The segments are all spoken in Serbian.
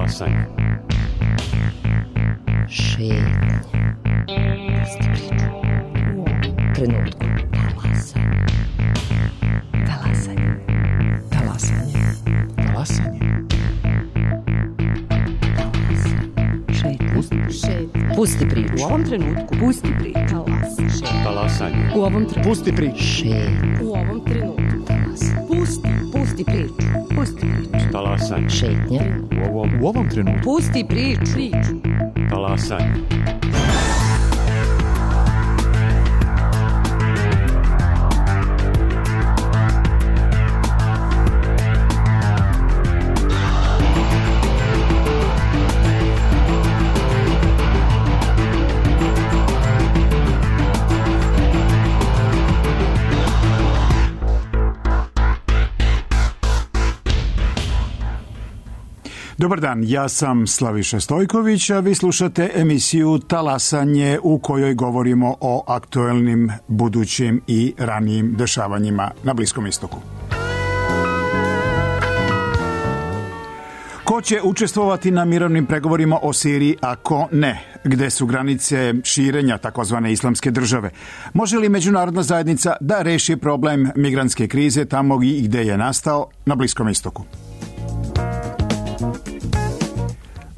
Talasanje. Šetnja. Pusti priču. U ovom trenutku. Talasanje. Talasanje. Talasanje. Šetnja. Pusti priču. U ovom trenutku. Pusti priču. Talasanje. U ovom trenutku. Pusti priču. Šetnja. U ovom trenutku. Talasanje. Pusti priču. Pusti priču. Talasanje. Šetnja. U ovom trenutku. Pusti priču. Talasanje. Dobar dan, ja sam Slaviša Stojković, a vi slušate emisiju Talasanje u kojoj govorimo o aktuelnim, budućim i ranijim dešavanjima na Bliskom istoku. Ko će učestvovati na mirovnim pregovorima o Siriji, a ko ne? Gde su granice širenja takozvane islamske države? Može li međunarodna zajednica da reši problem migrantske krize tamo gde je nastao na Bliskom istoku?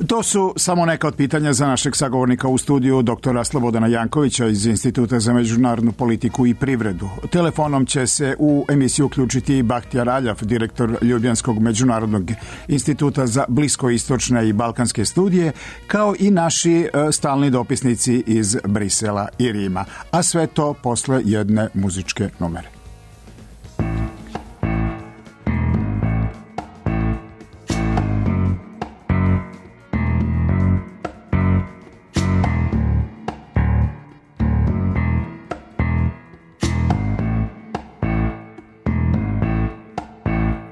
To su samo neka od pitanja za našeg sagovornika u studiju, doktora Slobodana Jankovića iz Instituta za međunarodnu politiku i privredu. Telefonom će se u emisiju uključiti Bahtjar Aljav, direktor Ljubljanskog međunarodnog instituta za bliskoistočne i balkanske studije, kao i naši stalni dopisnici iz Brisela i Rima. A sve to posle jedne muzičke numere.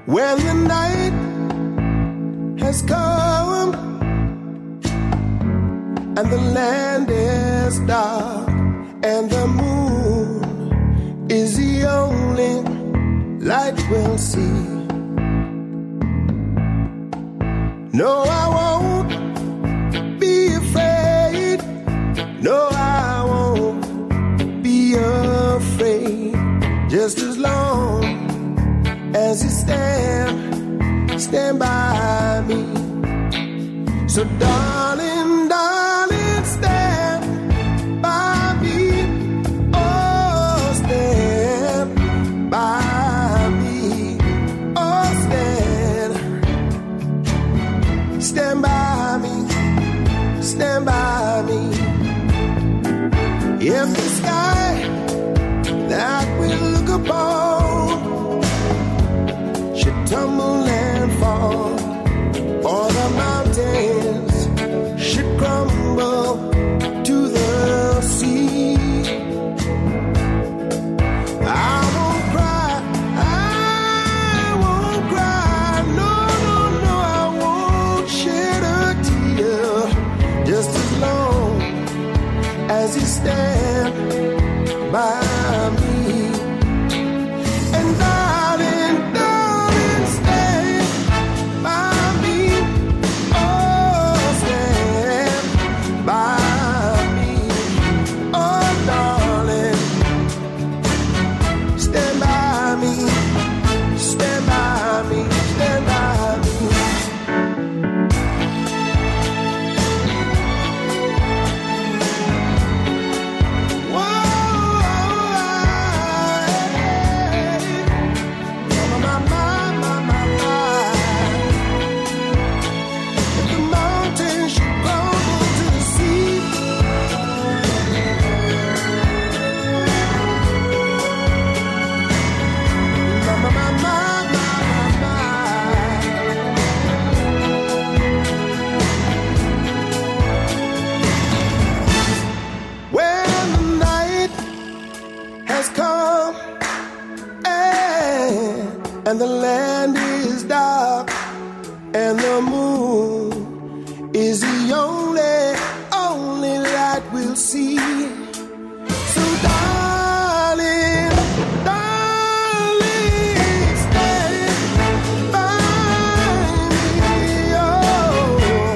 When the night has come and the land is dark and the moon is the only light we'll see. No, I won't be afraid. No, I won't be afraid. Just as long as you stand by me. So darling, darling, stand by me. Oh, stand by me. Oh, stand by me. Stand by me. If the sky that we look upon should tumble and fall, or the mountains should crumble to the sea, I won't cry, no, no, no, I won't shed a tear, just as long as you stand by me. And darling, darling, stand by me. Oh, stand by me. Oh, darling, stand by me. Stand by me. Stand by me. And the land is dark, and the moon is the only light we'll see. So darling, darling, stand by me. Oh,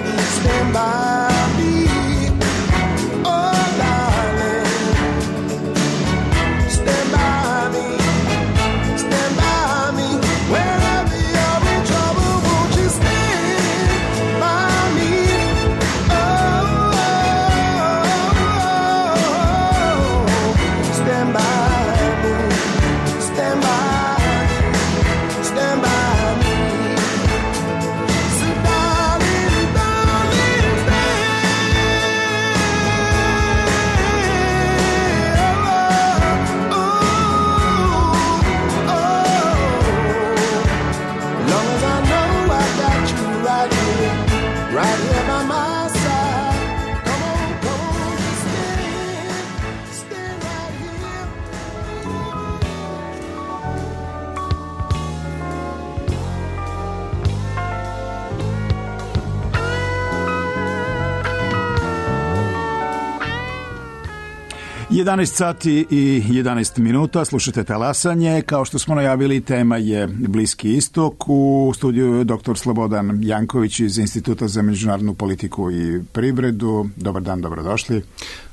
11 sati i 11 minuta, slušate Talasanje. Kao što smo najavili, tema je Bliski istok. U studiju je dr. Slobodan Janković iz Instituta za međunarodnu politiku i privredu. Dobar dan, dobrodošli.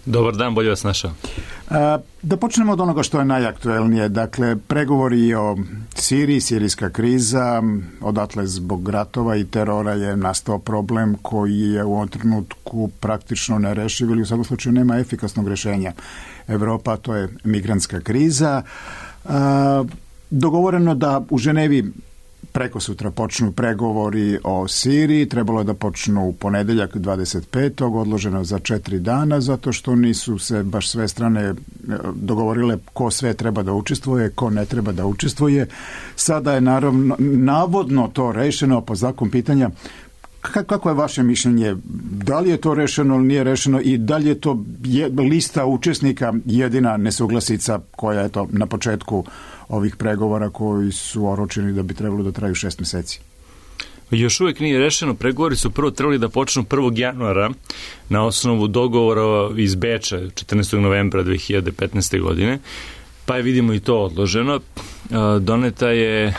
Dobar dan, bolje vas našao. Da počnemo od onoga što je najaktuelnije. Dakle, pregovori o Siriji, sirijska kriza, odatle zbog ratova i terora je nastao problem koji je u ovom trenutku praktično nerešiv ili u svakom slučaju nema efikasnog rješenja. Evropa, to je migrantska kriza. Dogovoreno da u Ženevi preko sutra počnu pregovori o Siriji, trebalo je da počnu u ponedjeljak 25. odloženo za 4 dana, zato što nisu se baš sve strane dogovorile ko sve treba da učestvuje, ko ne treba da učestvuje. Sada je navodno to rešeno po znaku pitanja. Kako je vaše mišljenje? Da li je to rešeno ili nije rešeno i da li je to lista učesnika jedina nesuglasica koja je to na početku ovih pregovora koji su oročeni da bi trebalo da traju 6 meseci? Još uvijek nije rešeno. Pregovori su prvo trebali da počnu 1. januara na osnovu dogovora iz Beča 14. novembra 2015. godine. Pa je vidimo i to odloženo. Doneta je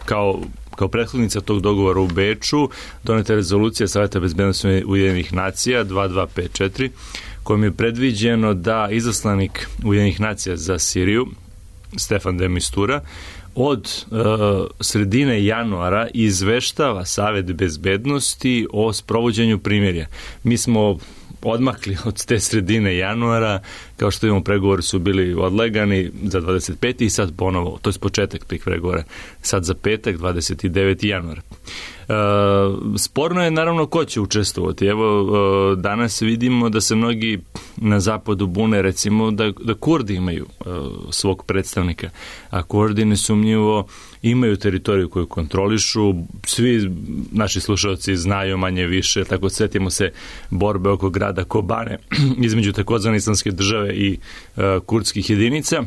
kao prethodnica tog dogovora u Beču, doneta je rezolucija Saveta bezbednosti Ujedinjenih nacija 2254, kojom je predviđeno da izaslanik Ujedinjenih nacija za Siriju, Stefan de Mistura, od sredine januara izveštava Savet bezbednosti o sprovođenju primirja. Mi smo odmakli od te sredine januara, kao što imamo, pregovori su bili odlegani za 25. i sad ponovo, to je početak tih pregovora, sad za petak 29. januara. Sporno je naravno ko će učestvovati. Evo, danas vidimo da se mnogi na zapadu bune, recimo da Kurdi imaju svog predstavnika, a Kurdi nesumnjivo imaju teritoriju koju kontrolišu. Svi naši slušalci znaju manje više, tako sjetimo se borbe oko grada Kobane između takozvane islamske države i kurdskih jedinica.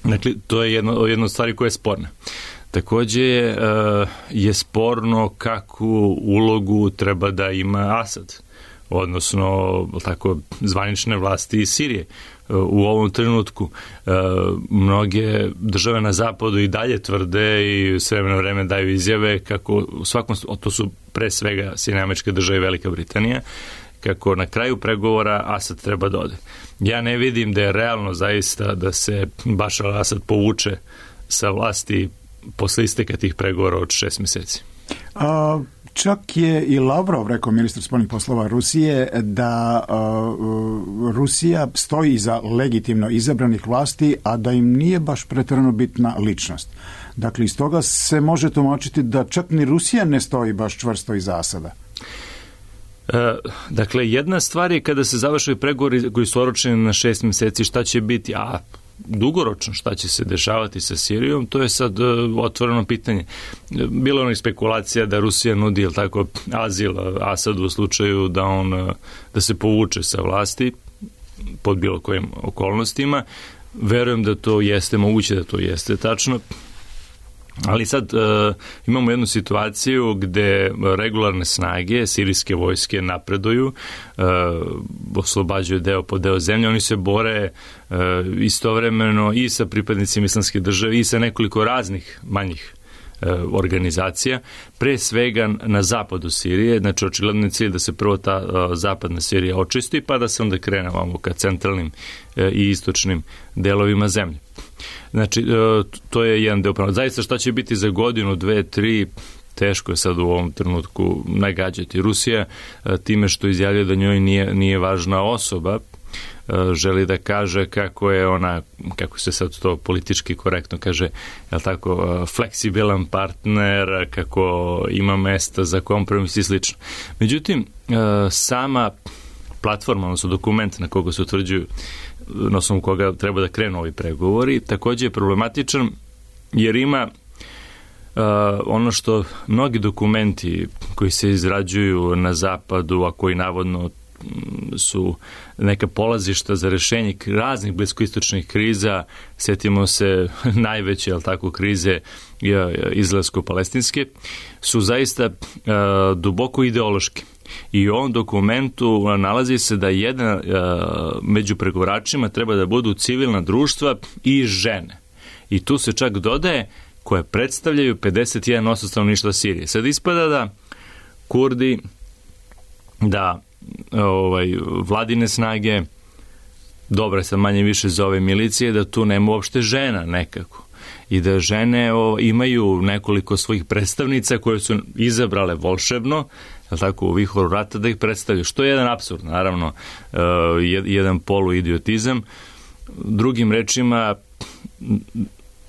Dakle, to je jedna od stvari koja je sporna. Također je sporno kakvu ulogu treba da ima Asad, odnosno tako zvanične vlasti iz Sirije. U ovom trenutku mnoge države na zapadu i dalje tvrde i s vremena vreme daju izjave kako u svakom, to su pre svega Sjedinjene Američke Države i Velika Britanija, kako na kraju pregovora Asad treba da ode. Ja ne vidim da je realno zaista da se Bašar al-Asad povuče sa vlasti posle isteka tih pregovora od 6 meseci. Čak je i Lavrov rekao, ministar spoljnih poslova Rusije, da Rusija stoji iza legitimno izabranih vlasti, a da im nije baš pretjerano bitna ličnost. Dakle, iz toga se može tumačiti da čak ni Rusija ne stoji baš čvrsto iza Asada. Dakle, jedna stvar je kada se završaju pregovori koji su oročeni na 6 meseci, šta će biti, a dugoročno šta će se dešavati sa Sirijom, to je sad otvoreno pitanje. Bilo je onih spekulacija da Rusija nudi, jel tako, azil Asadu u slučaju da se povuče sa vlasti pod bilo kojim okolnostima. Verujem da to jeste moguće, da to jeste tačno. Ali sad imamo jednu situaciju gde regularne snage sirijske vojske napreduju, oslobađaju deo po deo zemlje, oni se bore istovremeno i sa pripadnicima islamske države i sa nekoliko raznih manjih organizacija, pre svega na zapadu Sirije. Znači, očigledno je cilj da se prvo ta zapadna Sirija očisti, pa da se onda krene ovamo ka centralnim i istočnim delovima zemlje. Znači, to je jedan deo prava. Zaista šta će biti za godinu, 2, 3, teško je sad u ovom trenutku nagađati. Rusija time što izjavljuje da njoj nije važna osoba, želi da kaže kako je ona, kako se sad to politički korektno kaže, je li tako, fleksibilan partner, kako ima mesta za kompromis i slično. Međutim, sama platforma, odnosno dokument na koga se utvrđuju, na osnovu koga treba da krenu ovi pregovori, također je problematičan jer ima ono što mnogi dokumenti koji se izrađuju na zapadu, a koji navodno su neka polazišta za rešenje raznih bliskoistočnih kriza, sjetimo se najveće, jel tako, krize izraelsko-palestinske, su zaista duboko ideološki. I u ovom dokumentu nalazi se da jedan među pregovaračima treba da budu civilna društva i žene. I tu se čak dodaje koje predstavljaju 51% stanovništva Sirije. Sad ispada da Kurdi, da vladine snage, dobre sad manje više za ove milicije, da tu nema uopšte žena nekako. I da žene imaju nekoliko svojih predstavnica koje su izabrale volšebno, tako, u vihoru rata da ih predstavljaju. Što je jedan apsurd, naravno, jedan poluidiotizam. Drugim rečima,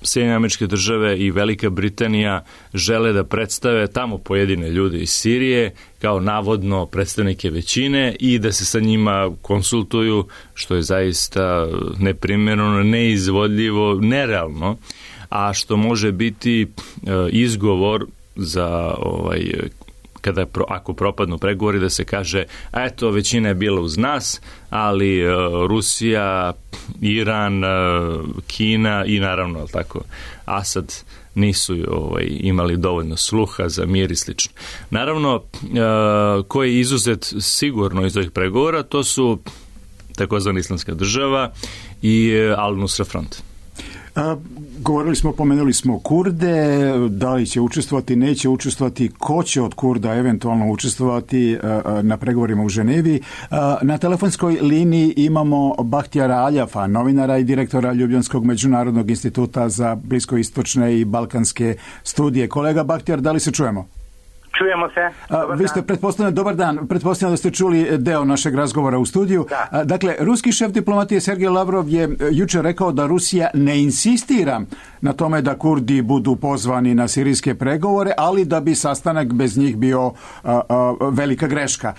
Sjedinjene Američke Države i Velika Britanija žele da predstave tamo pojedine ljude iz Sirije kao navodno predstavnike većine i da se sa njima konsultuju, što je zaista neprimjereno, neizvodljivo, nerealno, a što može biti izgovor za ako propadnu pregovori, da se kaže, eto, većina je bila uz nas, ali Rusija, Iran, Kina i naravno, tako, Asad nisu imali dovoljno sluha za mir i slično. Naravno, ko je izuzet sigurno iz ovih pregovora, to su takozvana Islamska država i Al-Nusra Front. Pomenuli smo Kurde, da li će učestvovati, neće učestvovati, ko će od Kurda eventualno učestvovati na pregovorima u Ženevi. Na telefonskoj liniji imamo Bahtijara Aljafa, novinara i direktora Ljubljanskog međunarodnog instituta za bliskoistočne i balkanske studije. Kolega Bahtijar, da li se čujemo? Čujemo se. Vi ste, dobar dan, pretpostavljam da ste čuli deo našeg razgovora u studiju. Da. Dakle, ruski šef diplomatije Sergej Lavrov je jučer rekao da Rusija ne insistira na tome da Kurdi budu pozvani na sirijske pregovore, ali da bi sastanak bez njih bio velika greška.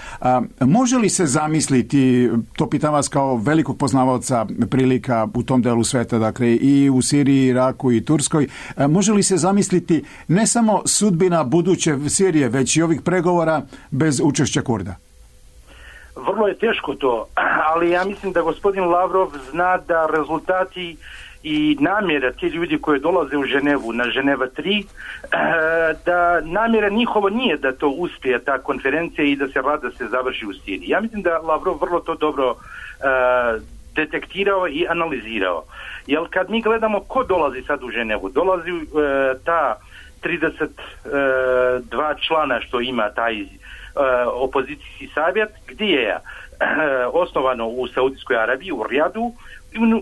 Može li se zamisliti, to pitam vas kao velikog poznavaoca prilika u tom delu sveta, dakle i u Siriji, Iraku i Turskoj, može li se zamisliti ne samo sudbina buduće Sirije, već i ovih pregovora bez učešća Kurda? Vrlo je teško to, ali ja mislim da gospodin Lavrov zna da rezultati i namjera ti ljudi koji dolaze u Ženevu, na Ženeva 3, da namjera njihova nije da to uspije, ta konferencija, i da se rada se završi u Siriji. Ja mislim da Lavrov vrlo to dobro detektirao i analizirao. Jer kad mi gledamo ko dolazi sad u Ženevu, dolazi ta 32 člana što ima taj opozicijski savjet, gdje je osnovano u Saudijskoj Arabiji, u Rijadu.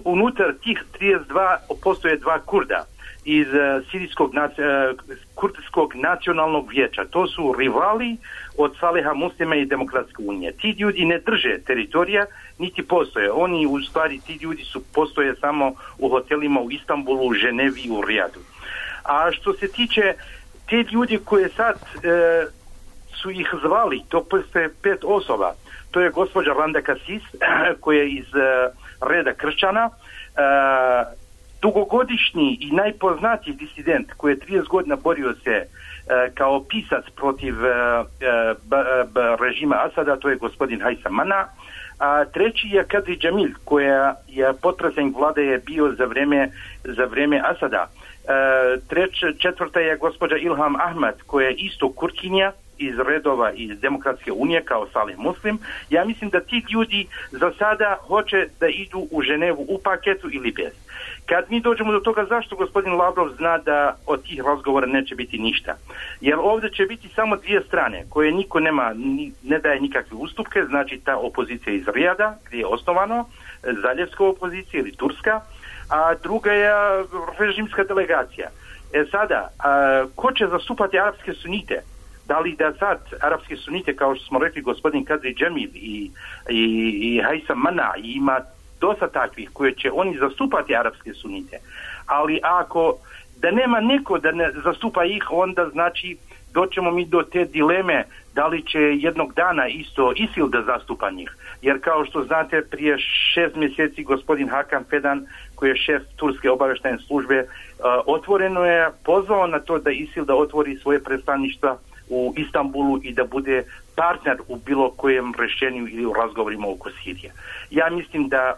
Unutar tih 32 postoje 2 Kurda iz Kurdskog nacionalnog vijeća. To su rivali od Saleha Muslima i Demokratske unije. Ti ljudi ne drže teritorija, niti postoje. Oni, u stvari, ti ljudi postoje samo u hotelima u Istanbulu, u Ženevi i u Rijadu. A što se tiče te ljudi koje sad su ih zvali, to postoje 5 osoba. To je gospođa Randa Kasis, koja je iz reda kršćana, dugogodišnji i najpoznatiji disident koji je 30 godina borio se kao pisac protiv režima Asada, to je gospodin Haysam Mana. A treći je Kadri Jamil, koja je potpredsjednik vlade je bio za vrijeme Asada. Četvrta je gospođa Ilham Ahmed, koja je isto Kurkinja iz redova iz Demokratske unije kao Salih Muslim. Ja mislim da ti ljudi za sada hoće da idu u Ženevu u paketu ili bez. Kad mi dođemo do toga zašto gospodin Lavrov zna da od tih razgovora neće biti ništa. Jer ovdje će biti samo 2 strane koje niko ne daje nikakve ustupke, znači ta opozicija iz Rijada gdje je osnovano, zaljevska opozicija ili turska, a druga je režimska delegacija. Sada, ko će zastupati arapske sunite? Da li da sad arapske sunite, kao što smo rekli gospodin Kadri Jamil i Haysam Mana, ima dosta takvih koje će oni zastupati arapske sunite, ali ako da nema neko da ne zastupa ih, onda znači doćemo mi do te dileme da li će jednog dana isto ISIL da zastupa njih. Jer kao što znate, prije 6 mjeseci gospodin Hakan Fidan, koji je šef turske obavještajne službe, otvoreno je pozvao na to da ISIL da otvori svoje predstavništva u Istanbulu i da bude partner u bilo kojem rješenju ili u razgovorima oko Sirije. Ja mislim da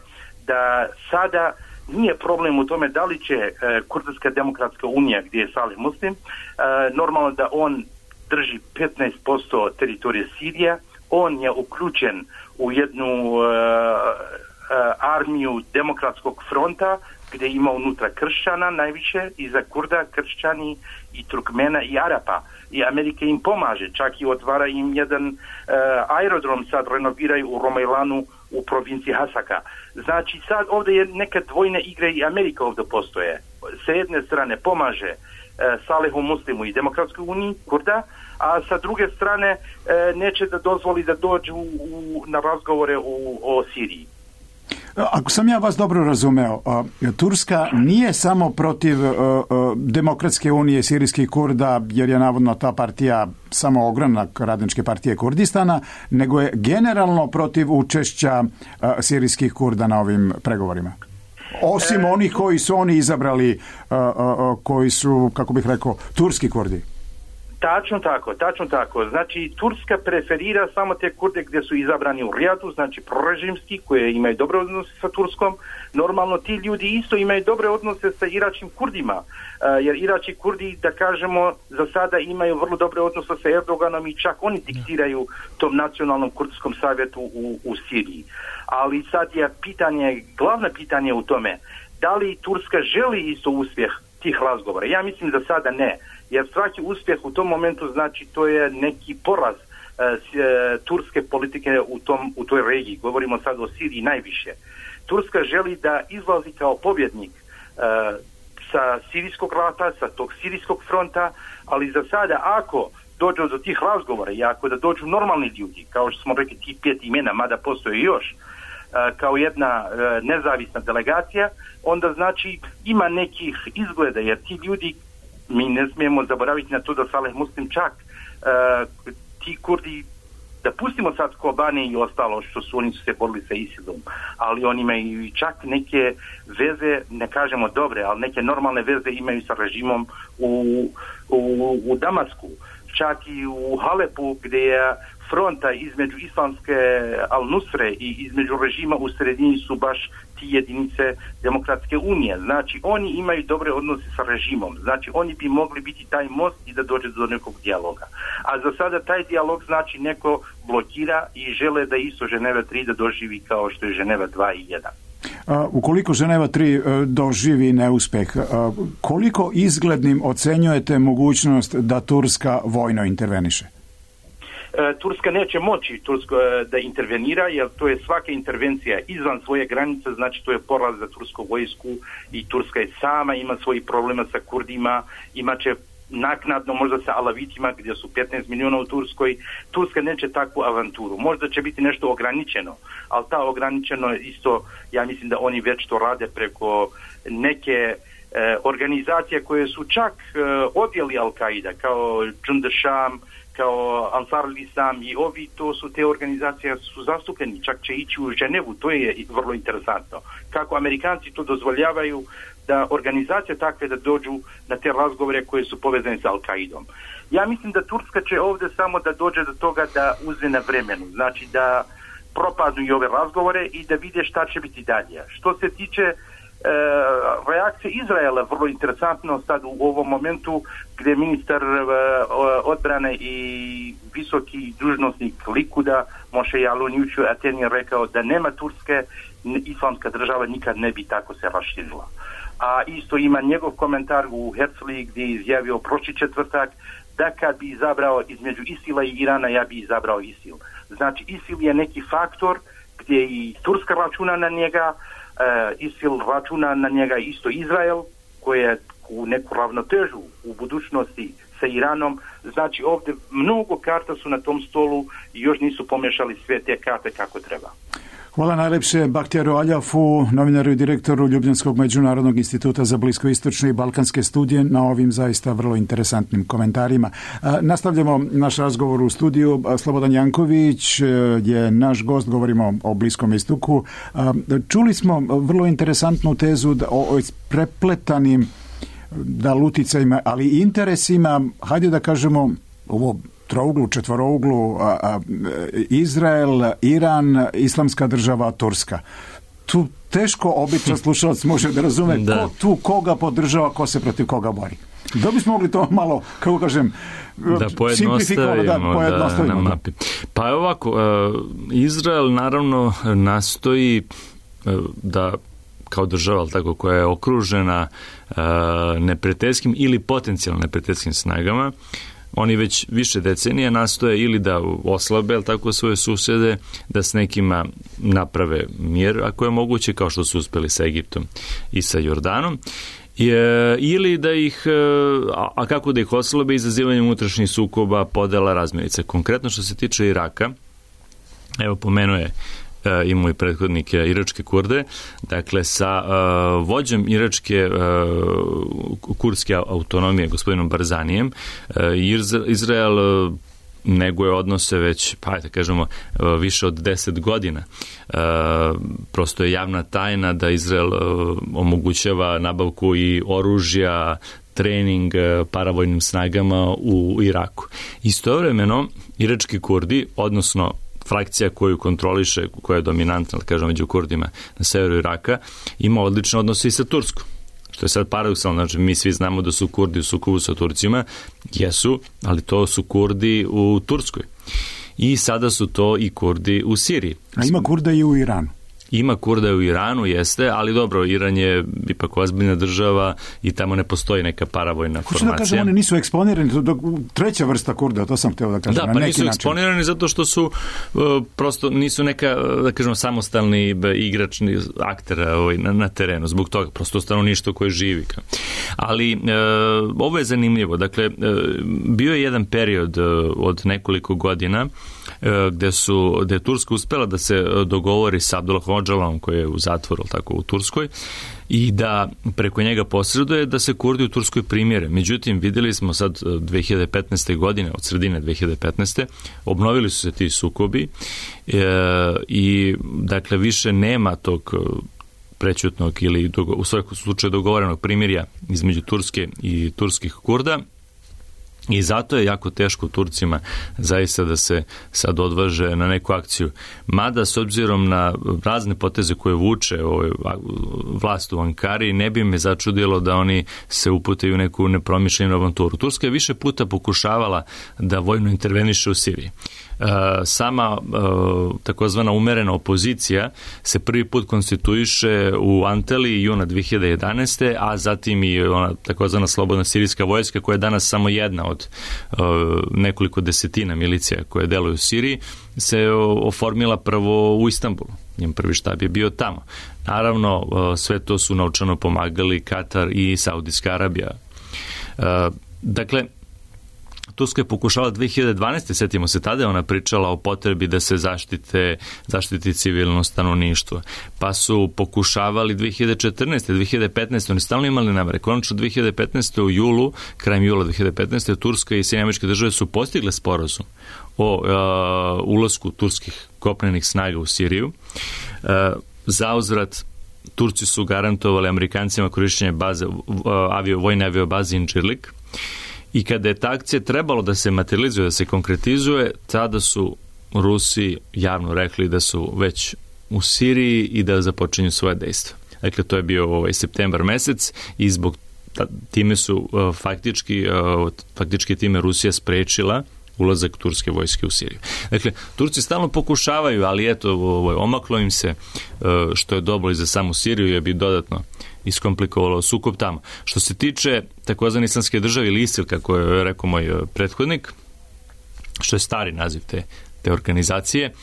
sada nije problem u tome da li će Kurdska demokratska unija, gdje je Salih Muslim, normalno da on drži 15% teritorije Sirije, On je uključen u jednu armiju Demokratskog fronta gdje ima unutra kršćana najviše, iza Kurda, kršćani i Turkmena i Arapa. I Amerika im pomaže, čak i otvara im jedan aerodrom, sad renoviraju u Romajlanu u provinciji Hasaka. Znači sad ovdje je neka dvojne igre i Amerika ovdje postoje. Sa jedne strane pomaže Salehu Muslimu i Demokratskoj uniji, Kurda, a sa druge strane neće da dozvoli da dođu na razgovore o Siriji. Ako sam ja vas dobro razumeo, Turska nije samo protiv Demokratske unije sirijskih Kurda, jer je navodno ta partija samo ogranak Radničke partije Kurdistana, nego je generalno protiv učešća sirijskih Kurda na ovim pregovorima. Osim onih koji su oni izabrali, koji su, kako bih rekao, turski Kurdi. Tačno tako. Znači, Turska preferira samo te Kurde gdje su izabrani u Rijadu, znači prorežimski, koje imaju dobre odnose sa Turskom. Normalno, ti ljudi isto imaju dobre odnose sa iračkim Kurdima, jer irački Kurdi, da kažemo, za sada imaju vrlo dobre odnose sa Erdoganom i čak oni diktiraju tom nacionalnom kurdskom savjetu u Siriji. Ali sad je glavno pitanje u tome, da li Turska želi isto uspjeh tih razgovora? Ja mislim da sada ne. Jer svaki uspjeh u tom momentu znači to je neki poraz turske politike u toj regiji. Govorimo sad o Siriji najviše. Turska želi da izlazi kao pobjednik sa sirijskog rata, sa tog sirijskog fronta, ali za sada ako dođu do tih razgovora i ako da dođu normalni ljudi, kao što smo rekli ti 5 imena, mada postoje još, kao jedna nezavisna delegacija, onda znači ima nekih izgleda, jer ti ljudi, mi ne smijemo zaboraviti na to da Saleh Muslim čak ti Kurdi, da pustimo sad Kobani i ostalo što su oni su se borili sa ISIL-om, ali oni imaju čak neke veze, ne kažemo dobre, ali neke normalne veze imaju sa režimom u Damasku, čak i u Halepu gdje je fronta između islamske Al-Nusre i između režima u sredini su baš ti jedinice Demokratske unije. Znači, oni imaju dobre odnose sa režimom. Znači, oni bi mogli biti taj most i da dođe do nekog dijaloga. A za sada taj dijalog znači neko blokira i žele da isto Ženeva 3 da doživi kao što je Ženeva 2 i 1. Ukoliko Ženeva 3 doživi neuspeh, koliko izglednim ocenjujete mogućnost da Turska vojno interveniše? Turska neće moći da intervenira, jer to je svaka intervencija izvan svoje granice, znači to je poraz za tursku vojsku i Turska je sama, ima svojih problema sa Kurdima, imaće naknadno možda sa Alavitima gdje su 15 milijuna u Turskoj. Turska neće takvu avanturu. Možda će biti nešto ograničeno, ali ta ograničeno isto, ja mislim da oni već to rade preko neke organizacije koje su čak odjeli Al-Qaida, kao Jund al-Sham, kao Ansar al-Islam i ovi, to su te organizacije su zastupljeni, čak će ići u Ženevu, to je vrlo interesantno. Kako Amerikanci to dozvoljavaju da organizacije takve da dođu na te razgovore koje su povezane sa Al-Qaidom. Ja mislim da Turska će ovdje samo da dođe do toga da uzme na vremenu, znači da propadnu i ove razgovore i da vide šta će biti dalje. Što se tiče reakcije Izraela, vrlo interesantno sad u ovom momentu gdje ministar odbrane i visoki dužnosnik Likuda Moshe Yaalon jučer u Ateni rekao da nema Turske, islamska država nikad ne bi tako se raširila. A isto ima njegov komentar u Herzliji gdje je izjavio prošli četvrtak da kad bi izabrao između Isila i Irana, ja bi izabrao Isil. Znači Isil je neki faktor gdje i Turska računa na njega, Isil računa na njega isto Izrael, koji je u neku ravnotežu u budućnosti sa Iranom. Znači ovdje mnogo karta su na tom stolu i još nisu pomješali sve te karte kako treba. Hvala najlepše Bahtijaru Aljafu, novinaru i direktoru Ljubljanskog međunarodnog instituta za bliskoistočne i balkanske studije, na ovim zaista vrlo interesantnim komentarima. Nastavljamo naš razgovor u studiju. Slobodan Janković je naš gost, govorimo o Bliskom istoku. Čuli smo vrlo interesantnu tezu o prepletanim uticajima, ali i interesima, hajde da kažemo ovo trouglu, četvorouglu, Izrael, Iran, Islamska država, Turska. Tu teško običan slušalac može da razume ko tu koga podržava, ko se protiv koga bori. Da bismo mogli to malo, kako kažem, da pojednostavimo na da. mapi. Pa ovako, Izrael naravno nastoji da kao država tako, koja je okružena neprijateljskim ili potencijalno neprijateljskim snagama, oni već više decenija nastoje ili da oslabe tako svoje susede, da s nekima naprave mir, ako je moguće, kao što su uspeli sa Egiptom i sa Jordanom, ili da ih, a kako da ih oslabe, izazivanjem unutrašnjih sukoba, podela, razmirica. Konkretno što se tiče Iraka, evo pomenuje i moj prethodnik iračke Kurde, dakle sa vođom iračke kurdske autonomije, gospodinom Barzanijem, Izrael neguje odnose već, pa da kažemo, više od 10 godina. Prosto je javna tajna da Izrael omogućava nabavku i oružja, trening paravojnim snagama u Iraku. Istovremeno, irački Kurdi, odnosno frakcija koju kontroliše, koja je dominantna, da kažem, među Kurdima na severu Iraka, ima odlične odnose i sa Turskom. Što je sad paradoksalno, znači mi svi znamo da su Kurdi u sukobu sa Turcima, jesu, ali to su Kurdi u Turskoj. I sada su to i Kurdi u Siriji. A ima Kurda i u Iranu? Ima Kurda u Iranu, jeste, ali dobro, Iran je ipak ozbiljna država i tamo ne postoji neka paravojna formacija. Hoću da kažem, oni nisu eksponirani, treća vrsta Kurda, to sam hteo da kažem. Da, pa nisu eksponirani zato što su prosto nisu neka, da kažemo, samostalni igračni akter na terenu, zbog toga, prosto stanovništvo koje živi. Ali ovo je zanimljivo, dakle, bio je jedan period od nekoliko godina gde je Turska uspela da se dogovori sa Abdullahom Öcalano'm, koji je u zatvoru, tako, u Turskoj, i da preko njega posreduje da se Kurdi u Turskoj primjere. Međutim, videli smo sad 2015. godine, od sredine 2015. obnovili su se ti sukobi i dakle više nema tog prećutnog ili u svakom slučaju dogovorenog primirja između Turske i turskih Kurda. I zato je jako teško Turcima zaista da se sad odvaže na neku akciju. Mada, s obzirom na razne poteze koje vuče vlast u Ankari, ne bi me začudilo da oni se upute u neku nepromišljenu avanturu. Turska je više puta pokušavala da vojno interveniše u Siriji. Sama takozvana umerena opozicija se prvi put konstituiše u Antaliji juna 2011. a zatim i ona takozvana slobodna sirijska vojska, koja je danas samo jedna od nekoliko desetina milicija koje deluju u Siriji, se oformila prvo u Istanbulu. Njen prvi štab je bio tamo. Naravno, sve to su novčano pomagali Katar i Saudijska Arabija. Dakle, Turska je pokušala 2012. Sjetimo se, tada je ona pričala o potrebi da se zaštiti civilno stanovništvo. Pa su pokušavali 2014. 2015. Oni stalno imali namere. Konačno 2015. u julu, krajem jula 2015. Turska i Sjedinjene Američke Države su postigle sporazum o ulasku turskih kopnenih snaga u Siriju. Zauzvrat, Turci su garantovali Amerikancima korišćenje vojne aviobaze Incirlik. I kada je ta akcija trebalo da se materializuje, da se konkretizuje, tada su Rusi javno rekli da su već u Siriji i da započinju svoje dejstva. Dakle, to je bio septembar mesec i zbog time su faktički time Rusija sprečila ulazak turske vojske u Siriju. Dakle, Turci stalno pokušavaju, ali eto, omaklo im se, što je dobro i za samu Siriju, jer bi dodatno iskomplikovalo sukob tamo. Što se tiče takozvane islamske države ili ISIL, kako je rekao moj prethodnik, što je stari naziv te organizacije,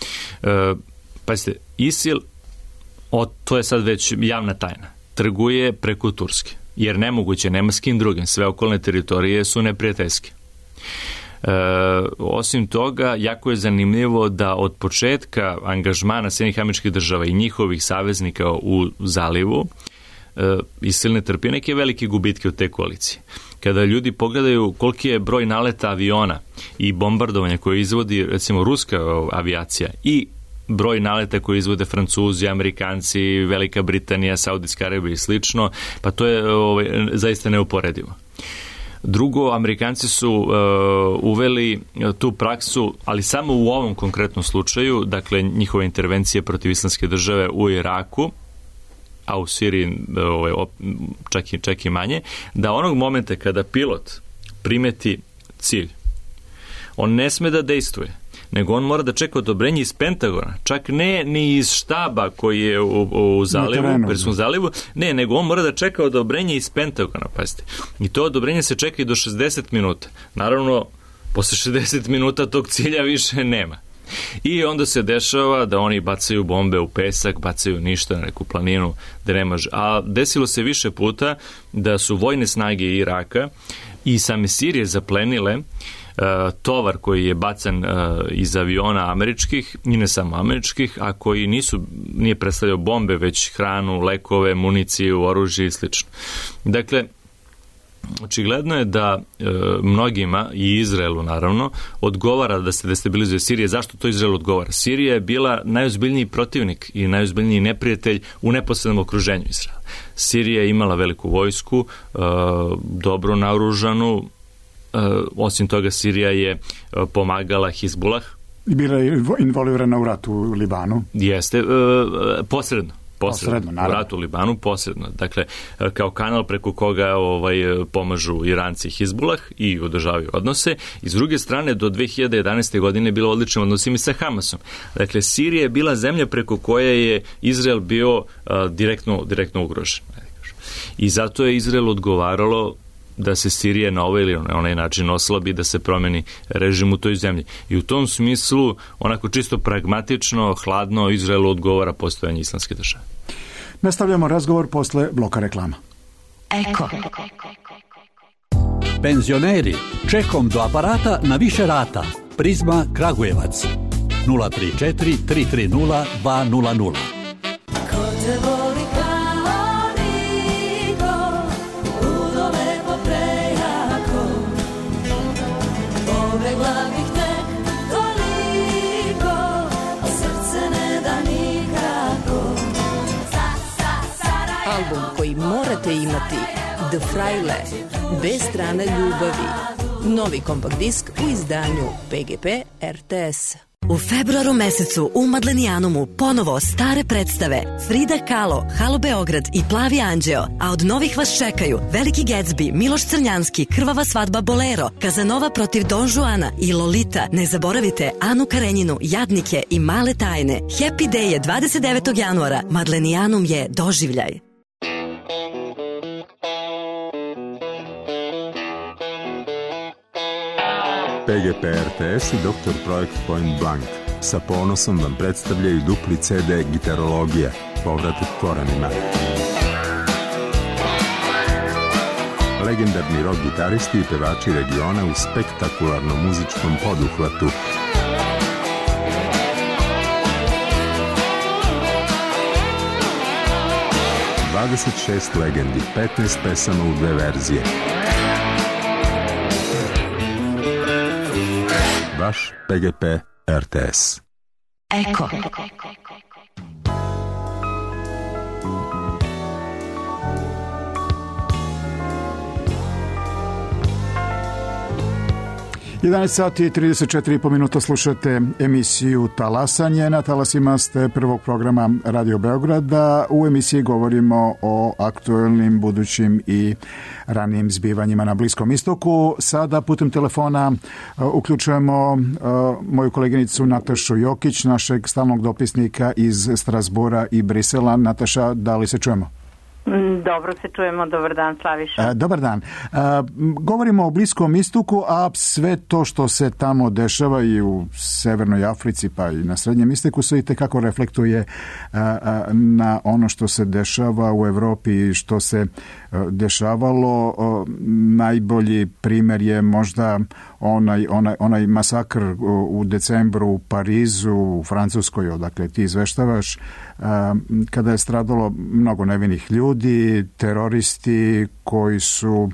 pazite, ISIL, to je sad već javna tajna, trguje preko Turske, jer nemoguće, nema s kim drugim, sve okolne teritorije su neprijateljske. Osim toga, jako je zanimljivo da od početka angažmana Sjedinjenih Američkih Država i njihovih saveznika u zalivu ISIL ne trpi neke velike gubitke u te koalicije. Kada ljudi pogledaju koliki je broj naleta aviona i bombardovanja koje izvodi recimo ruska avijacija i broj naleta koje izvode Francuzi, Amerikanci, Velika Britanija, Saudijska Arabija i slično, pa to je zaista neuporedivo. Drugo, Amerikanci su uveli tu praksu, ali samo u ovom konkretnom slučaju, dakle njihove intervencije protiv Islamske države u Iraku, a u Siriji čak i manje, da onog momenta kada pilot primeti cilj, on ne sme da dejstvuje, nego on mora da čeka odobrenje iz Pentagona, čak ne ni iz štaba koji je u zalivu, Perskom zalivu, ne, nego on mora da čeka odobrenje iz Pentagona, pazite. I to odobrenje se čeka i do 60 minuta. Naravno, posle 60 minuta tog cilja više nema. I onda se dešava da oni bacaju bombe u pesak, bacaju ništa na neku planinu, da nema... A desilo se više puta da su vojne snage Iraka i same Sirije zaplenile tovar koji je bacan iz aviona američkih i ne samo američkih, a koji nije predstavljao bombe, već hranu, lekove, municiju, oružje i sl. Dakle, očigledno je da mnogima, i Izraelu naravno, odgovara da se destabilizuje Sirija. Zašto to Izraelu odgovara? Sirija je bila najozbiljniji protivnik i najozbiljniji neprijatelj u neposrednom okruženju Izraela. Sirija je imala veliku vojsku, dobro naoružanu, osim toga Sirija je pomagala Hizbulah. I bila je involvirana u ratu u Libanu. Jeste, posredno, u ratu u Libanu, posredno. Dakle, kao kanal preko koga pomažu Iranci i Hizbulah i održavaju odnose. I s druge strane, do 2011. godine je bilo odličnim odnosima sa Hamasom. Dakle, Sirija je bila zemlja preko koje je Izrael bio direktno ugrožen. I zato je Izrael odgovaralo da se Sirija na ovaj ili onaj način oslabi, da se promeni režim u toj zemlji. I u tom smislu, onako čisto pragmatično, hladno, Izraelu odgovara postojanje islamske države. Nastavljamo razgovor posle bloka reklama. Eko. Penzioneri, čekom do aparata na više rata. Prizma Kragujevac. 034 330 200. Album koji morate imati, The Fraile, bez strane ljubavi. Novi kompakt disk u izdanju PGP RTS. U februaru mesecu u Madlenijanumu ponovo stare predstave Frida Kahlo, Halo Beograd i Plavi anđeo, a od novih vas čekaju Veliki Gatsby, Miloš Crnjanski, Krvava svadba Bolero, Kazanova protiv Don Juana i Lolita. Ne zaboravite Anu Karenjinu, Jadnike i Male tajne. Happy Day je 29. januara. Madlenijanum je doživljaj. PGP RTS i Dr. Projekt Point Blank sa ponosom vam predstavljaju dupli CD Gitarologija, povratak korenima. Legendarni rock gitaristi i pevači regiona u spektakularnom muzičkom poduhvatu. ...26 legendi, 15 pesama u 2 verzije. Vaš PGP RTS. Eko. 11 sati i 34,5 minuta slušate emisiju Talasanje. Na talasima ste prvog programa Radio Beograda. U emisiji govorimo o aktuelnim, budućim i ranijim zbivanjima na Bliskom istoku. Sada putem telefona uključujemo moju koleginicu Natašu Jokić, našeg stalnog dopisnika iz Strasbura i Brisela. Nataša, da li se čujemo? Dobro se čujemo, dobar dan Slaviša. Dobar dan. Govorimo o Bliskom istoku, a sve to što se tamo dešava i u Severnoj Africi pa i na Srednjem istoku se i tekako reflektuje na ono što se dešava u Evropi i što se dešavalo. Najbolji primjer je možda onaj masakr u decembru u Parizu, u Francuskoj, odakle ti izveštavaš, kada je stradalo mnogo nevinih ljudi, teroristi koji su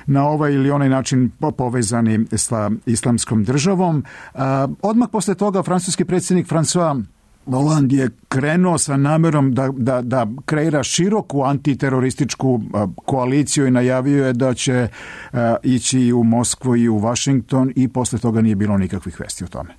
na ovaj ili onaj način povezani sa islamskom državom. Odmah posle toga francuski predsjednik François Hollande je krenuo sa namerom da kreira široku antiterorističku koaliciju i najavio je da će ići u Moskvu i u Washington i posle toga nije bilo nikakvih vesti o tome.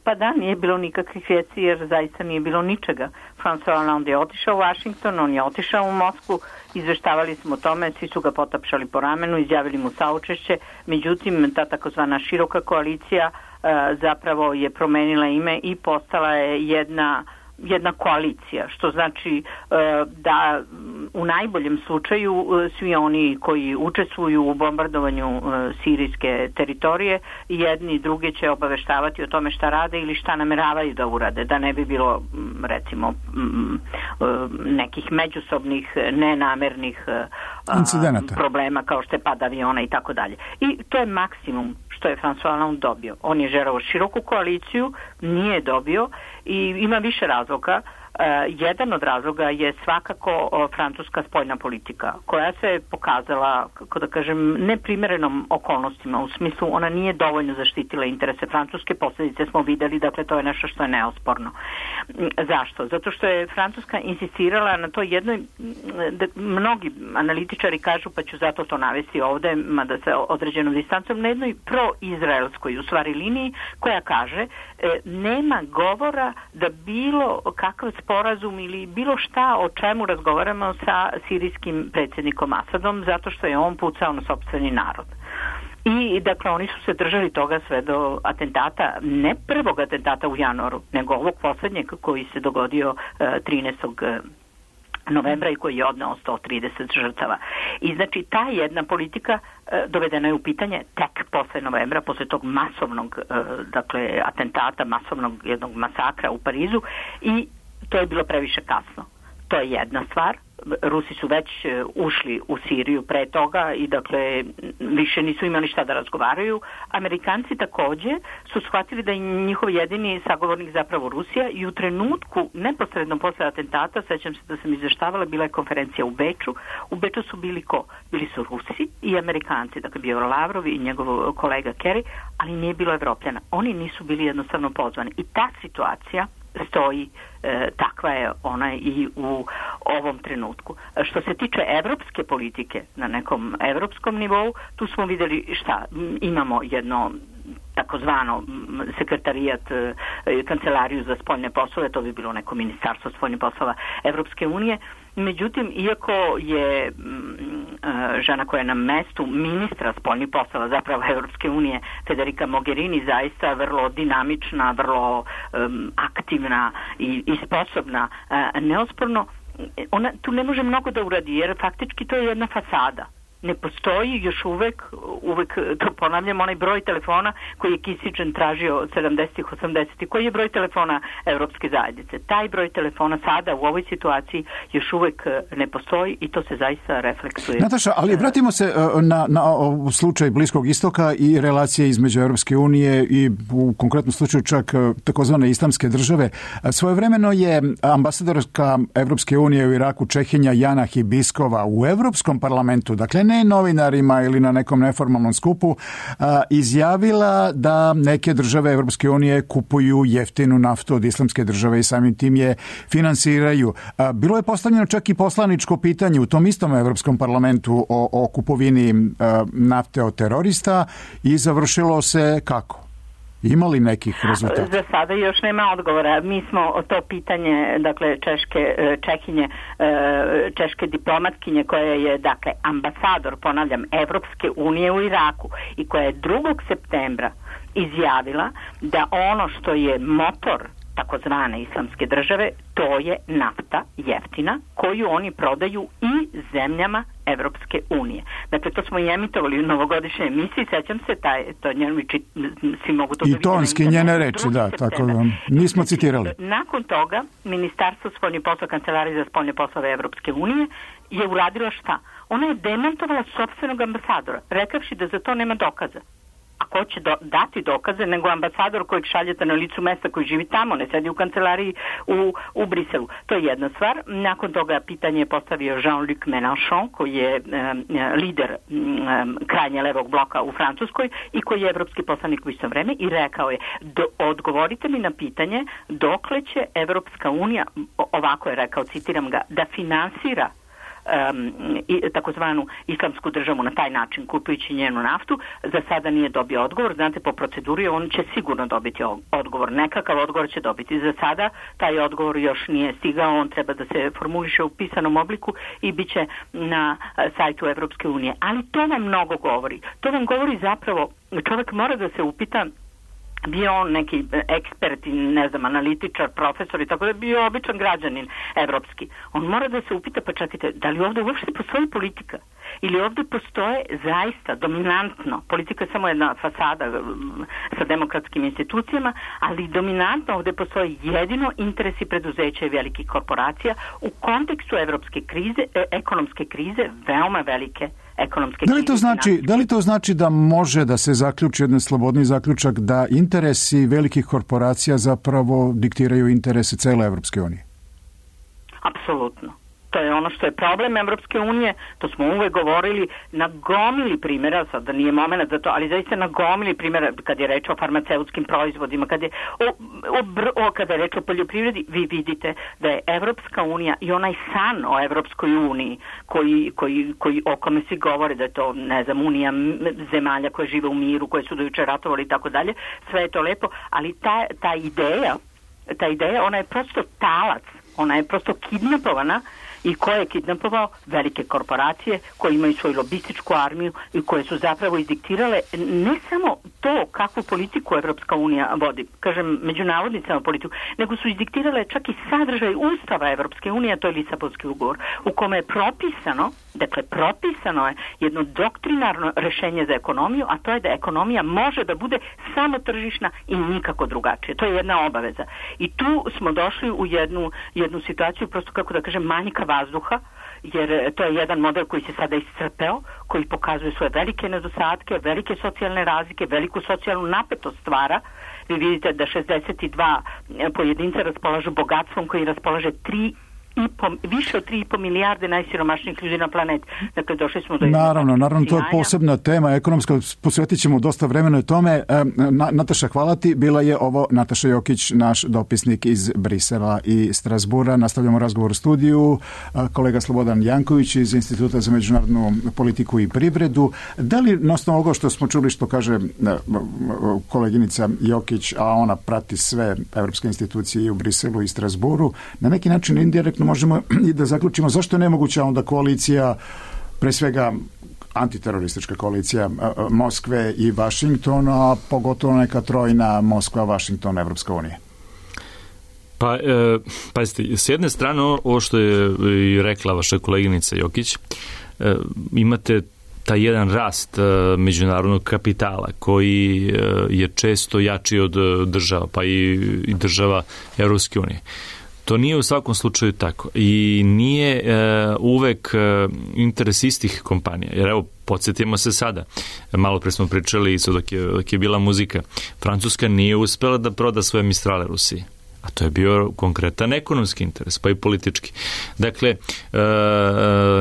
Pa da, nije bilo nikakvih vijesti jer zaista nije bilo ničega. François Hollande je otišao u Washington, on je otišao u Moskvu, izveštavali smo o tome, svi su ga potapšali po ramenu, izjavili mu saučešće, međutim ta takozvana široka koalicija zapravo je promenila ime i postala je jedna koalicija, što znači da u najboljem slučaju svi oni koji učestvuju u bombardovanju sirijske teritorije, jedni i drugi će obaveštavati o tome šta rade ili šta nameravaju da urade, da ne bi bilo recimo nekih međusobnih nenamernih problema kao što je pad aviona i tako dalje. I to je maksimum što je François Hollande dobio. On je želeo široku koaliciju, nije dobio i ima više razloga. Jedan od razloga je svakako francuska spoljna politika, koja se pokazala, kako da kažem, neprimerenom okolnostima, u smislu ona nije dovoljno zaštitila interese Francuske, posljedice smo videli, dakle to je nešto što je neosporno. Zašto? Zato što je Francuska insistirala na to jednoj, da mnogi analitičari kažu, pa ću zato to navesti ovde, mada se određenom distancom, na jednoj proizraelskoj u stvari liniji, koja kaže nema govora da bilo kakav sporazum ili bilo šta o čemu razgovaramo sa sirijskim predsjednikom Asadom, zato što je on pucao na sopstveni narod. I dakle oni su se držali toga sve do atentata, ne prvog atentata u januaru, nego ovog posljednjeg koji se dogodio 13. novembra i koji je odneo 130 žrtava. I znači ta jedna politika dovedena je u pitanje tek posle novembra, posle tog masovnog dakle atentata, masovnog jednog masakra u Parizu, i to je bilo previše kasno. To je jedna stvar. Rusi su već ušli u Siriju pre toga i dakle više nisu imali šta da razgovaraju. Amerikanci takođe su shvatili da je njihov jedini sagovornik zapravo Rusija i u trenutku neposredno posle atentata, sećam se da sam izveštavala, bila je konferencija u Beču. U Beču su bili ko? Bili su Rusi i Amerikanci, dakle bio Lavrov i njegov kolega Kerry, ali nije bilo Evropljana. Oni nisu bili jednostavno pozvani. I ta situacija stoji, takva je ona i u ovom trenutku. Što se tiče evropske politike na nekom evropskom nivou, tu smo vidjeli šta, imamo jedno takozvano sekretarijat, kancelariju za spoljne poslove, to bi bilo neko ministarstvo spoljnih poslova Evropske unije. Međutim, iako je žena koja je na mestu ministra spoljnih poslova zapravo Evropske unije, Federica Mogherini, zaista vrlo dinamična, vrlo aktivna i sposobna, neosporno, ona tu ne može mnogo da uradi, jer faktički to je jedna fasada. Ne postoji još uvek, to ponavljam, onaj broj telefona koji je Kissinger tražio od 70-ih, 80-ih, koji je broj telefona Evropske zajednice. Taj broj telefona sada u ovoj situaciji još uvek ne postoji i to se zaista refleksuje. Nataša, ali vratimo se na slučaj Bliskog istoka i relacije između Evropske unije i u konkretnom slučaju čak takozvane islamske države. Svojevremeno je ambasadorka Evropske unije u Iraku, Čehinja Jana Hibiskova, u Evropskom parlamentu, dakle ne novinarima ili na nekom neformalnom skupu, izjavila da neke države Evropske unije kupuju jeftinu naftu od islamske države i samim tim je finansiraju. Bilo je postavljeno čak i poslaničko pitanje u tom istom Evropskom parlamentu o kupovini nafte od terorista i završilo se kako? Ima li nekih rezultata? Za sada još nema odgovora. Mi smo to pitanje, dakle, češke diplomatkinje koja je, dakle, ambasador, ponavljam, Evropske unije u Iraku i koja je 2. septembra izjavila da ono što je motor takozvane islamske države, to je nafta jeftina koju oni prodaju i zemljama Evropske unije. Dakle, to smo i emitovali u novogodišnjoj emisiji, sećam se, to njenovići, svi mogu to da vidjeti. I tonski njene reči, da, tako da nismo citirali. Nakon toga, Ministarstvo spoljnih poslova, Kancelarija za spoljne poslove Evropske unije je uradila šta? Ona je demantovala sopstvenog ambasadora, rekavši da za to nema dokaza. A ko će dati dokaze nego ambasador kojeg šaljete na licu mesta koji živi tamo, ne sedi u kancelariji u Briselu. To je jedna stvar. Nakon toga pitanje je postavio Jean-Luc Mélenchon, koji je lider krajnje levog bloka u Francuskoj i koji je evropski poslanik u isto vreme i rekao je, odgovorite mi na pitanje dokle će Evropska unija, ovako je rekao, citiram ga, da finansira takozvanu islamsku državu na taj način, kupujući njenu naftu. Za sada nije dobio odgovor. Znate, po proceduri on će sigurno dobiti odgovor. Nekakav odgovor će dobiti. Za sada taj odgovor još nije stigao. On treba da se formuliše u pisanom obliku i bit će na sajtu Evropske unije. Ali to vam mnogo govori. To vam govori zapravo, čovjek mora da se upita, bio on neki ekspert, ne znam, analitičar, profesor i tako da, bio običan građanin evropski. On mora da se upita, pa čekajte, da li ovdje uopšte postoji politika? Ili ovdje postoje zaista dominantno, politika je samo jedna fasada sa demokratskim institucijama, ali dominantno ovdje postoje jedino interesi preduzeća i velikih korporacija u kontekstu evropske krize, ekonomske krize, veoma velike ekonomske krize. Da li to znači da može da se zaključi jedan slobodni zaključak da interesi velikih korporacija zapravo diktiraju interese cele Evropske unije? Apsolutno. To je ono što je problem Evropske unije, to smo uvek govorili, na gomili primjera, sad da nije moment za to, ali zaista na gomili primjera, kad je reč o farmaceutskim proizvodima, kad je reč o poljoprivredi, vi vidite da je Evropska unija i onaj san o Evropskoj uniji, koji o kome svi govore da je to, ne znam, unija zemalja koje žive u miru, koje su do juče ratovali i tako dalje, sve je to lepo, ali ta ideja, ona je prosto talac, ona je prosto kidnapovana. I ko je kidnapovao? Velike korporacije koje imaju svoju lobističku armiju i koje su zapravo izdiktirale ne samo to kakvu politiku Evropska unija vodi, kažem međunarodnicama politiku, nego su izdiktirale čak i sadržaj Ustava Evropske unije, a to je Lisabonski ugovor, u kome je propisano je jedno doktrinarno rešenje za ekonomiju, a to je da ekonomija može da bude samo tržišna i nikako drugačije. To je jedna obaveza. I tu smo došli u jednu situaciju, prosto kako da kažem, manjka vazduha, jer to je jedan model koji se sada iscrpeo, koji pokazuje svoje velike nedostatke, velike socijalne razlike, veliku socijalnu napetost stvara. Vi vidite da 62 pojedinca raspolažu bogatstvom koji raspolaže više od 3,5 milijarde najsiromašnijih ljudi na planeti. Dakle, došli smo do... Naravno, to je posebna tema ekonomska, posvetit ćemo dosta vremena tome. Nataša, hvala ti. Bila je ovo Nataša Jokić, naš dopisnik iz Brisela i Strasbura. Nastavljamo razgovor u studiju. Kolega Slobodan Janković iz Instituta za međunarodnu politiku i privredu. Da li, na osnovu ovoga što smo čuli, što kaže koleginica Jokić, a ona prati sve evropske institucije i u Briselu i Strasburu, na neki način indirektno možemo i da zaključimo zašto je nemoguća onda koalicija, pre svega antiteroristička koalicija Moskve i Vašingtona, a pogotovo neka trojna Moskva, Vašington, Evropska unija? Pa, pazite, s jedne strane ovo što je i rekla vaša koleginica Jokić, imate taj jedan rast međunarodnog kapitala koji je često jači od država, pa i država Evropske unije. To nije u svakom slučaju tako i nije uvek interes istih kompanija. Jer evo, podsjetimo se sada, malo pre smo pričali dok je bila muzika, Francuska nije uspela da proda svoje Mistrale Rusiji. A to je bio konkretan ekonomski interes, pa i politički. Dakle,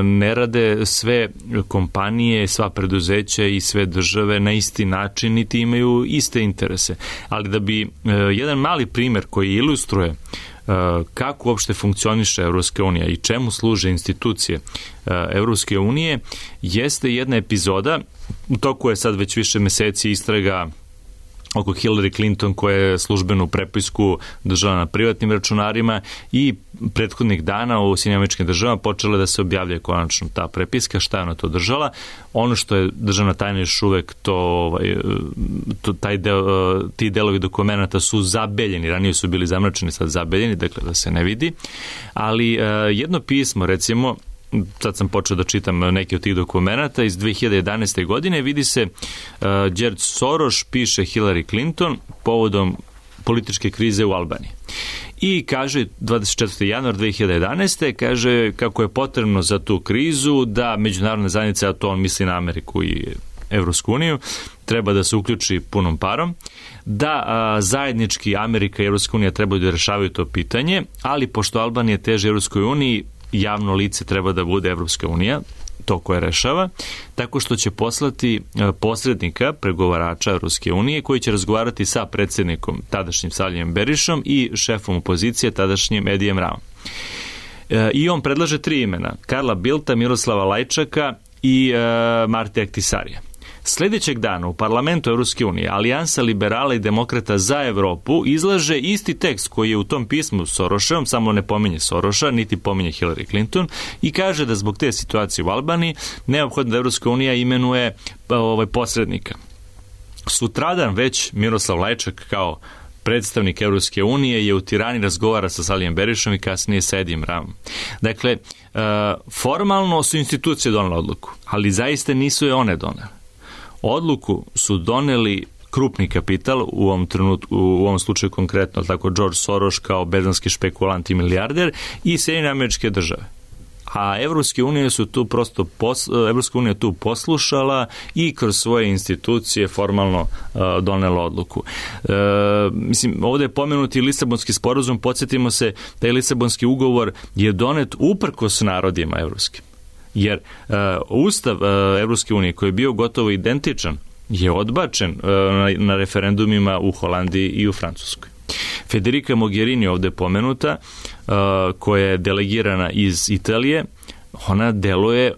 ne rade sve kompanije, sva preduzeća i sve države na isti način, niti imaju iste interese. Ali da bi jedan mali primjer koji ilustruje kako uopšte funkcioniše Evropska unija i čemu služe institucije Evropske unije, jeste jedna epizoda, u toku je sad već više meseci istraga oko Hillary Clinton koja je službenu prepisku držala na privatnim računarima i prethodnih dana u Sjedinjenim Američkim Državama počela da se objavlja konačno ta prepiska, šta je ona to držala. Ono što je državna tajna još uvek ti delovi dokumenta su zabeljeni, ranije su bili zamračeni, sad zabeljeni, dakle da se ne vidi, ali jedno pismo, recimo, sad sam počeo da čitam neke od tih dokumenta iz 2011. godine, vidi se George Soros piše Hillary Clinton povodom političke krize u Albaniji. I kaže 24. januar 2011. kaže kako je potrebno za tu krizu da međunarodna zajednica, a to on misli na Ameriku i Evropsku uniju, treba da se uključi punom parom, da zajednički Amerika i Evropska unija trebaju da rešavaju to pitanje, ali pošto Albanija teže Evropskoj uniji, javno lice treba da bude Evropska unija, to koje rešava, tako što će poslati posrednika, pregovarača Evropske unije, koji će razgovarati sa predsjednikom, tadašnjim Salijem Berišom, i šefom opozicije, tadašnjim Edijem Ramom. I on predlaže 3 imena, Karla Bildta, Miroslava Lajčaka i Marti Ahtisarija. Sljedećeg dana u parlamentu Evropske unije Alijansa liberala i demokrata za Evropu izlaže isti tekst koji je u tom pismu Soroševom, samo ne pominje Soroša, niti pominje Hillary Clinton, i kaže da zbog te situacije u Albaniji neophodno da Evropska unija imenuje posrednika. Sutradan već Miroslav Lajčak kao predstavnik Evropske unije je u Tirani, razgovara sa Salijem Berišom i kasnije sa Edijem Ramom. Dakle, formalno su institucije donele odluku, ali zaista nisu je one donele. Odluku su doneli krupni kapital, u ovom trenutku, u ovom slučaju konkretno, tako George Soros kao berzanski špekulant i milijarder, i Sjedinjene Američke Države. A Evropska unija su tu prosto Evropska unija tu poslušala i kroz svoje institucije formalno donela odluku. Mislim, ovdje je pomenuti Lisabonski sporazum, podsjetimo se da je Lisabonski ugovor je donet uprkos narodima evropskim. Jer Ustav Evropske unije, koji je bio gotovo identičan, je odbačen na referendumima u Holandiji i u Francuskoj. Federica Mogherini ovdje pomenuta, koja je delegirana iz Italije, ona deluje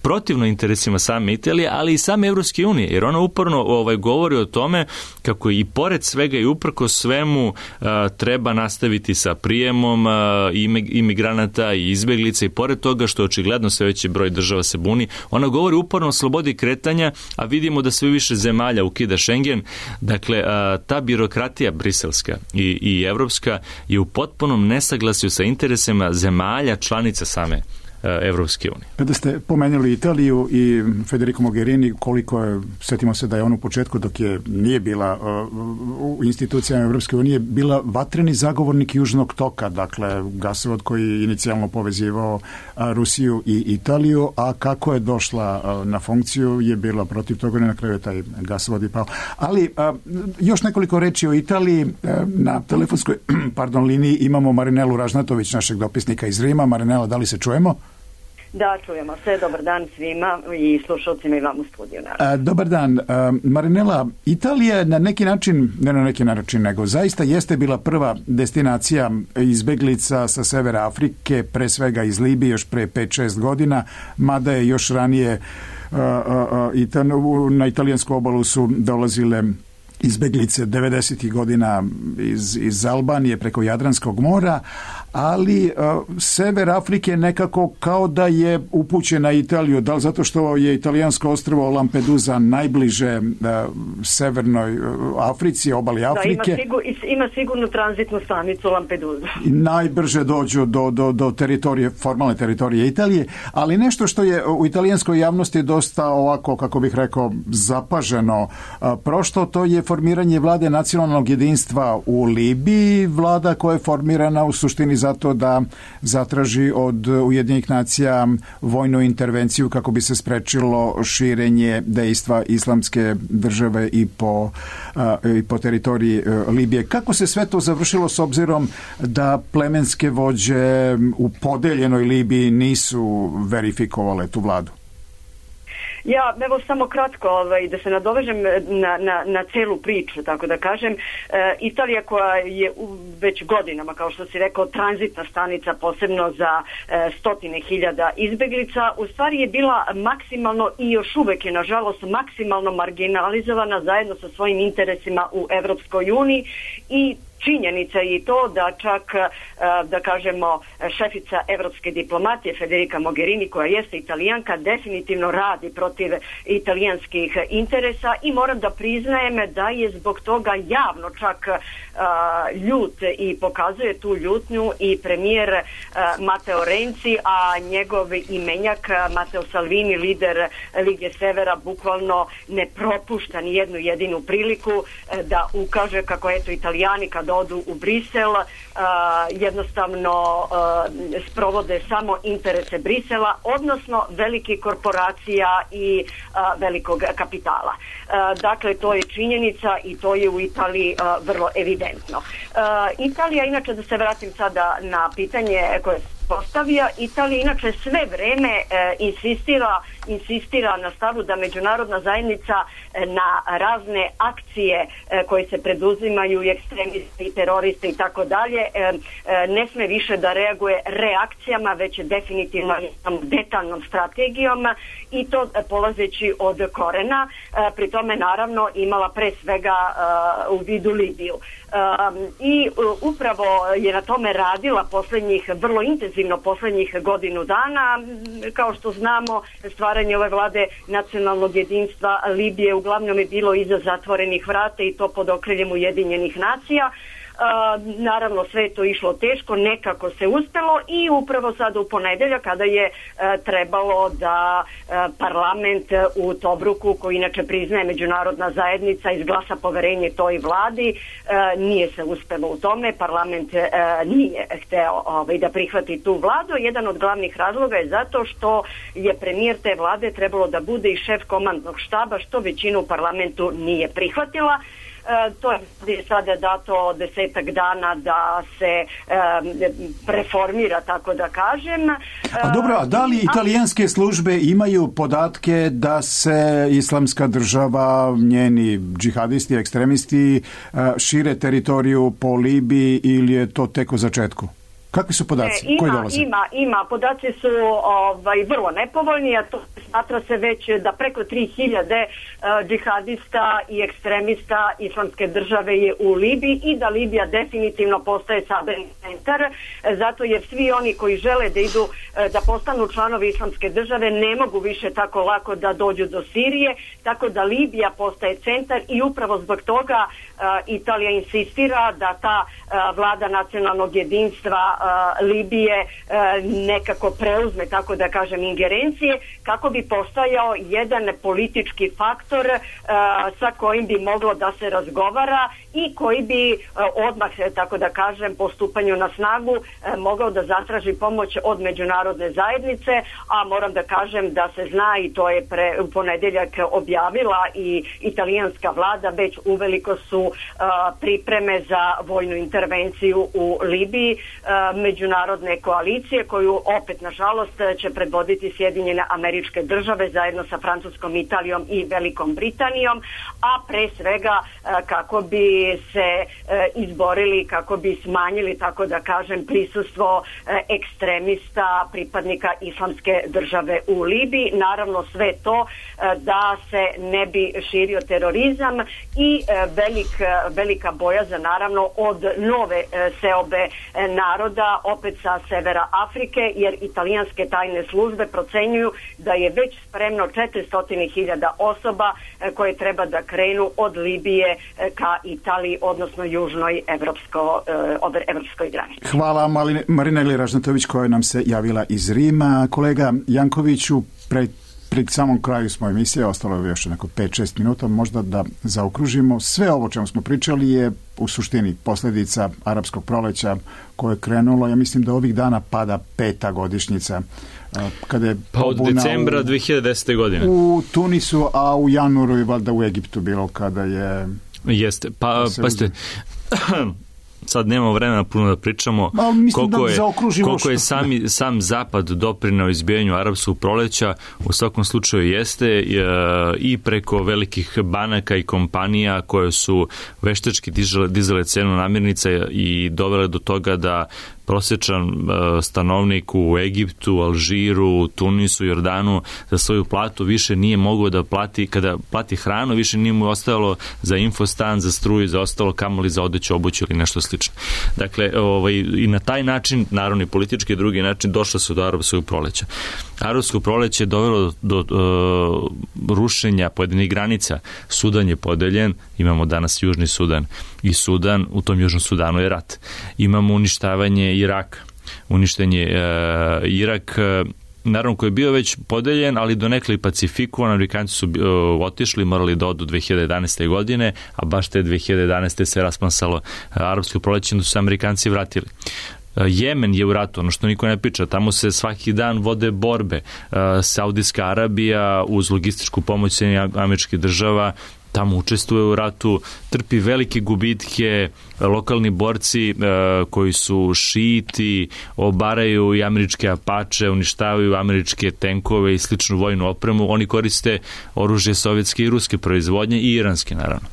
protivno interesima same Italije, ali i same Evropske unije, jer ona uporno govori o tome kako i pored svega i uprko svemu treba nastaviti sa prijemom imigranata i izbeglica, i pored toga što očigledno sve veći broj država se buni, ona govori uporno o slobodi kretanja, a vidimo da sve više zemalja ukida Schengen. Dakle, ta birokratija briselska i evropska je u potpunom nesaglasju sa interesima zemalja članica same Evropske unije. Kada ste pomenuli Italiju i Federico Mogherini, koliko je, sjetimo se da je on u početku, dok nije bila u institucijama Evropske unije, bila vatreni zagovornik Južnog toka, dakle gasovod koji je inicijalno povezivao Rusiju i Italiju, a kako je došla na funkciju je bila protiv toga, na kraju je taj gasovod i pao. Ali još nekoliko reči o Italiji. Na telefonskoj liniji imamo Marinelu Ražnatović, našeg dopisnika iz Rima. Marinela, da li se čujemo? Da, čujemo se. Dobar dan svima i slušalcima i vam u studiju. Dobar dan. Marinela, Italija na neki način, ne na neki način, nego zaista jeste bila prva destinacija izbeglica sa severa Afrike, pre svega iz Libije, još pre 5-6 godina, mada je još ranije na italijansku obalu su dolazile izbeglice 90. godina iz Albanije preko Jadranskog mora, ali sever Afrike nekako kao da je upućen na Italiju, da li zato što je italijansko ostrvo Lampedusa najbliže severnoj Africi, obali Afrike. Da, ima sigurno tranzitnu stanicu Lampedusa. Najbrže dođu do teritorije, formalne teritorije Italije, ali nešto što je u italijanskoj javnosti dosta ovako, kako bih rekao, zapaženo prošlo, to je formiranje vlade nacionalnog jedinstva u Libiji, vlada koja je formirana u suštini zato da zatraži od Ujedinjenih nacija vojnu intervenciju kako bi se sprečilo širenje dejstva islamske države i po teritoriji Libije. Kako se sve to završilo s obzirom da plemenske vođe u podeljenoj Libiji nisu verifikovale tu vladu? Ja, evo samo kratko da se nadovežem na celu priču, tako da kažem. Italija koja je već godinama, kao što si rekao, tranzitna stanica posebno za stotine hiljada izbeglica, u stvari je bila maksimalno i još uvek je nažalost maksimalno marginalizovana zajedno sa svojim interesima u Evropskoj uniji i činjenica je i to da čak, da kažemo, šefica evropske diplomatije Federica Mogherini, koja jeste Italijanka, definitivno radi protiv italijanskih interesa i moram da priznajem da je zbog toga javno čak ljut i pokazuje tu ljutnju i premijer Matteo Renzi, a njegov imenjak Matteo Salvini, lider Lige Severa, bukvalno ne propušta ni jednu jedinu priliku da ukaže kako eto Italijani kad odu u Brisel jednostavno sprovode samo interese Brisela, odnosno velikih korporacija i velikog kapitala. Dakle, to je činjenica i to je u Italiji vrlo evidentno. Italija, inače da se vratim sada na pitanje koje postavija, Italija inače sve vreme insistira insistira na stavu da međunarodna zajednica na razne akcije koje se preduzimaju i ekstremisti i teroristi i tako dalje ne sme više da reaguje reakcijama, već definitivno detaljnom strategijom i to polazeći od korena, pri tome naravno imala pre svega u vidu Libiju. I upravo je na tome radila vrlo intenzivno poslednjih godinu dana. Kao što znamo, stvaranje ove vlade nacionalnog jedinstva Libije uglavnom je bilo iza zatvorenih vrata i to pod okriljem Ujedinjenih nacija. Naravno sve je to išlo teško, nekako se uspelo i upravo sada u ponedeljak kada je trebalo da parlament u Tobruku, koji inače priznaje međunarodna zajednica, izglasa poverenje toj vladi, nije se uspelo u tome, parlament nije hteo da prihvati tu vladu. Jedan od glavnih razloga je zato što je premijer te vlade trebalo da bude i šef komandnog štaba, što većina u parlamentu nije prihvatila. To je sada dato 10 dana da se preformira, tako da kažem. A dobro, a da li italijanske službe imaju podatke da se Islamska država, njeni džihadisti, ekstremisti šire teritoriju po Libiji ili je to tek u začetku? Kakvi su podaci koji dolaze? Ima. Podaci su vrlo nepovoljni, a to smatra se već da preko 3000 džihadista i ekstremista Islamske države je u Libiji i da Libija definitivno postaje sabirni centar, zato jer svi oni koji žele da idu da postanu članovi Islamske države ne mogu više tako lako da dođu do Sirije, tako da Libija postaje centar i upravo zbog toga Italija insistira da ta vlada nacionalnog jedinstva Libije nekako preuzme, tako da kažem, ingerencije, kako bi postajao jedan politički faktor sa kojim bi moglo da se razgovara i koji bi odmah, tako da kažem, po stupanju na snagu mogao da zatraži pomoć od međunarodne zajednice, a moram da kažem da se zna, i to je u ponedeljak objavila i italijanska vlada, već uveliko su pripreme za vojnu intervenciju u Libiji međunarodne koalicije, koju opet nažalost će predvoditi Sjedinjene Američke Države zajedno sa Francuskom, Italijom i Velikom Britanijom, a pre svega kako bi se izborili, kako bi smanjili, tako da kažem, prisustvo ekstremista, pripadnika Islamske države u Libiji. Naravno sve to da se ne bi širio terorizam i velika bojazan naravno od nove seobe naroda, opet sa severa Afrike, jer italijanske tajne službe procenjuju da je već spremno 400.000 osoba koje treba da krenu od Libije ka Italiji, odnosno južnoj evropskoj granici. Hvala Marineli Ražnatović koja nam se javila iz Rima. Kolega Jankoviću, pred samom kraju smo emisije, ostalo je još neko 5-6 minuta, možda da zaokružimo. Sve ovo čemu smo pričali je u suštini posljedica arapskog proleća koje je krenulo, ja mislim da ovih dana pada 5. godišnjica. Kada je od decembra 2010. godine. U Tunisu, a u januaru je valjda u Egiptu bilo kada je... Jeste, pa ste... Sad nemamo vremena puno da pričamo koliko je sam Zapad doprineo izbijanju arapskog proleća. U svakom slučaju jeste i preko velikih banaka i kompanija koje su veštački dizale cenu namirnica i dovele do toga da prosječan stanovnik u Egiptu, Alžiru, Tunisu, Jordanu za svoju platu više nije mogao da plati, kada plati hranu, više nije mu ostalo za infostan, za struju, za ostalo kamoli za odeću, obuću ili nešto slično. Dakle, i na taj način, naravno i politički i drugi način, došlo se do arapskog proleća. Arapsko proleće je dovelo do rušenja pojedinih granica. Sudan je podeljen, imamo danas Južni Sudan i Sudan, u tom Južnom Sudanu je rat. Imamo uništavanje Iraka. Uništen je Irak, naravno koji je bio već podeljen, ali donekle i pacifikovan. Amerikanci su otišli, morali da odu 2011. godine, a baš te 2011. se rasplamsalo arapsko proleće, da su se Amerikanci vratili. Jemen je u ratu, ono što niko ne priča, tamo se svaki dan vode borbe. Saudijska Arabija uz logističku pomoć Sjedinjenih Američkih Država tamo učestvuje u ratu, trpi velike gubitke, lokalni borci koji su šiti, obaraju i američke Apache, uništavaju američke tenkove i sličnu vojnu opremu, oni koriste oružje sovjetske i ruske proizvodnje i iranske, naravno.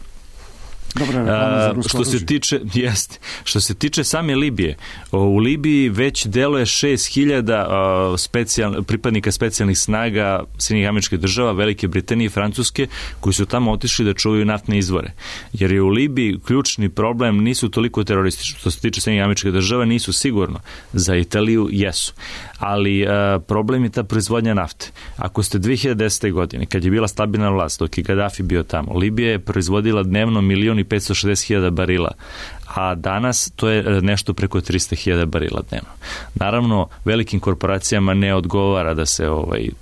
Što se tiče same Libije, u Libiji već deluje 6.000 pripadnika specijalnih snaga Sjedinjenih Američkih Država, Velike Britanije i Francuske, koji su tamo otišli da čuvaju naftne izvore. Jer je u Libiji ključni problem nisu toliko teroristični. Što se tiče Sjedinjenih Američkih Država, nisu sigurno. Za Italiju jesu. Ali problem je ta proizvodnja nafte. Ako ste 2010. godine, kad je bila stabilna vlast, dok je Gaddafi bio tamo, Libija je proizvodila dnevno 1.560.000 barila, a danas to je nešto preko 300.000 barila dnevno. Naravno, velikim korporacijama ne odgovara da se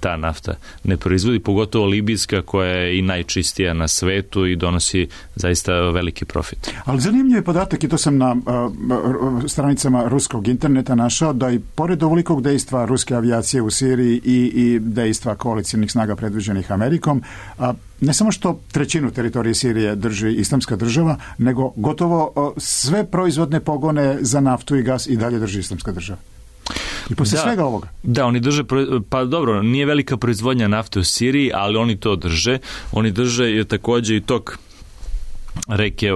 ta nafta ne proizvodi, pogotovo libijska koja je i najčistija na svetu i donosi zaista veliki profit. Ali zanimljiv je podatak, i to sam na stranicama ruskog interneta našao, da i pored ovolikog dejstva ruske avijacije u Siriji i dejstva koalicijnih snaga predvođenih Amerikom, ne samo što trećinu teritorije Sirije drži Islamska država, nego gotovo sve proizvodne pogone za naftu i gas i dalje drži Islamska država. I posle svega ovoga. Da, oni drže, pa dobro, nije velika proizvodnja nafte u Siriji, ali oni to drže. Oni drže takođe i tok reke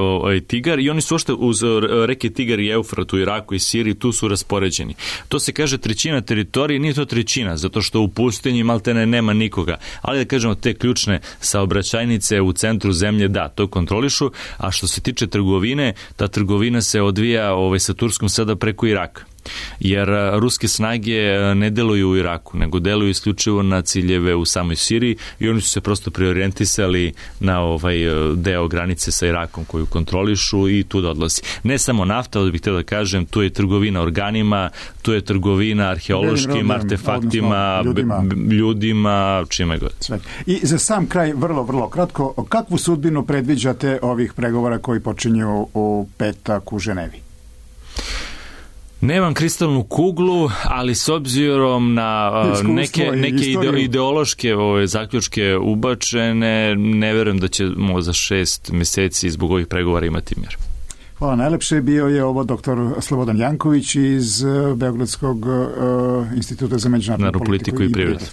Tigar i oni su ošte uz reke Tigar i Eufrat u Iraku i Siriji, tu su raspoređeni. To se kaže trećina teritorije, nije to trećina, zato što u pustinji maltene nema nikoga, ali da kažemo te ključne saobraćajnice u centru zemlje, da, to kontrolišu, a što se tiče trgovine, ta trgovina se odvija sa Turskom sada preko Iraka. Jer ruske snage ne deluju u Iraku, nego deluju isključivo na ciljeve u samoj Siriji i oni su se prosto preorijentisali na deo granice sa Irakom koju kontrolišu i tu da odlazi. Ne samo nafta, ovdje bih htio da kažem, tu je trgovina organima, tu je trgovina arheološkim artefaktima, ljudima, čime god. Sve. I za sam kraj, vrlo, vrlo kratko, kakvu sudbinu predviđate ovih pregovora koji počinju u petak u Ženevi? Nemam kristalnu kuglu, ali s obzirom na neke ideološke zaključke ubačene, ne verujem da ćemo za 6 meseci zbog ovih pregovora imati mir. Hvala najlepše. Bio je ovo doktor Slobodan Janković iz Beogradskog instituta za međunarodnu politiku i privredu.